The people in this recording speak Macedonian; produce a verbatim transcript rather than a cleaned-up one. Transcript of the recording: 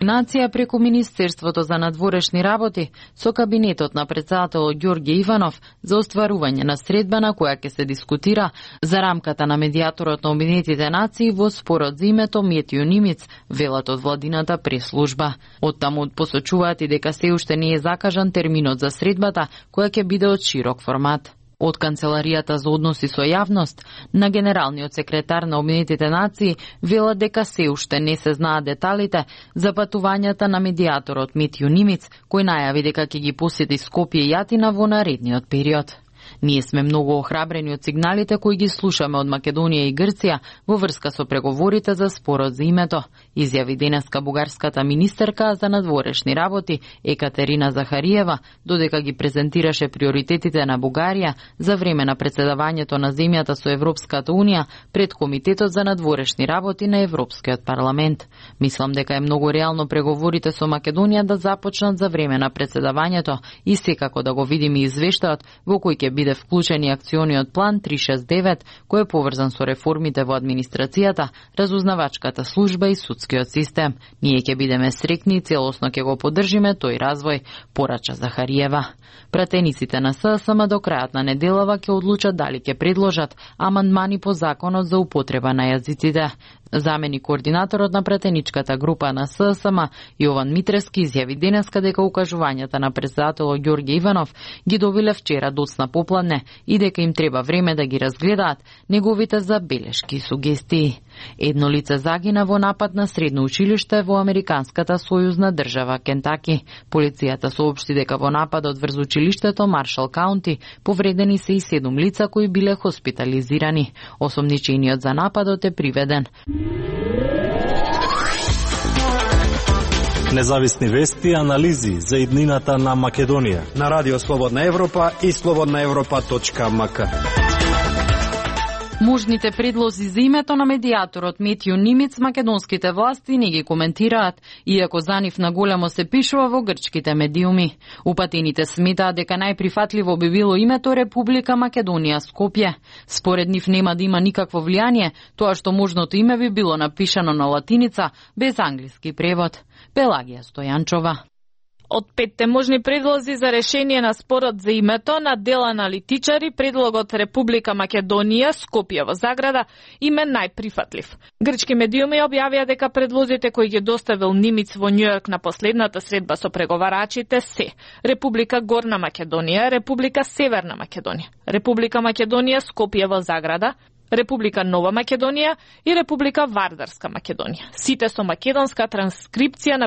Нација преку Министерството за надворешни работи со кабинетот на председателот Ѓорѓе Иванов за остварување на средба на која ќе се дискутира за рамката на медијаторот на Обединетите нации во спорот за името Метју Нимиц, велат од владината преслужба. Оттаму посочуваат и дека се уште не е закажан терминот за средбата, која ќе биде од широк формат. Од Канцеларијата за односи со јавност на генералниот секретар на Обединетите нации велат дека се уште не се знаат деталите за патувањата на медијаторот Метју Нимиц, кој најави дека ќе ги посети Скопје и Атина во наредниот период. Ние сме многу охрабрени од сигналите кои ги слушаме од Македонија и Грција во врска со преговорите за спорот за името, изјави денеска бугарската министерка за надворешни работи Екатерина Захариева, додека ги презентираше приоритетите на Бугарија за време на председавањето на земјата со Европската унија пред Комитетот за надворешни работи на Европскиот парламент. Мислам дека е многу реално преговорите со Македонија да започнат за време на председавањето и секако да го видиме извештајот во кој ќе биде вклучен и акциониот план триста шесто и девет, кој е поврзан со реформите во администрацијата, разузнавачката служба и судскиот систем. Ние ќе бидеме среќни и целосно ќе го поддржиме тој развој, порача Захариева. Пратениците на ССМ до крајот на неделава ќе одлучат дали ќе предложат амандмани по законот за употреба на јазиците. Замени координаторот на пратеничката група на ССМ Јован Митрески изјави денеска дека укажувањата на председателот Ѓорѓе Иванов ги добиле вчера доцна попладне и дека им треба време да ги разгледаат неговите забелешки и сугестии. Едно лице загина во напад на средно училиште во американската сојузна држава Кентаки. Полицијата соопшти дека во нападот врз училиштето Маршал Каунти повредени се и седум лица кои биле хоспитализирани. Осомничениот за нападот е приведен. Независни вести и анализи за иднината на Македонија на Радио Слободна Европа и слободна европа точка ем ка. Можните предлози за името на медијаторот Метју Нимиц македонските власти не ги коментираат, иако за нив на големо се пишува во грчките медиуми. Упатените сметаат дека најприфатливо би било името Република Македонија Скопје. Според нив нема да има никакво влијание тоа што можното име би било напишано на латиница без англиски превод. Пелагија Стојанчова. Од петте можни предлози за решение на спорот за името на дел аналитичари, предлогот Република Македонија Скопје во заграда им е најприфатлив. Грчки медиуми објавија дека предлозите кои ги доставил Нимиц во Њујорк на последната средба со преговарачите се Република Горна Македонија, Република Северна Македонија, Република Македонија Скопје во заграда, Република Нова Македонија и Република Вардарска Македонија. Сите со македонска транскрипција на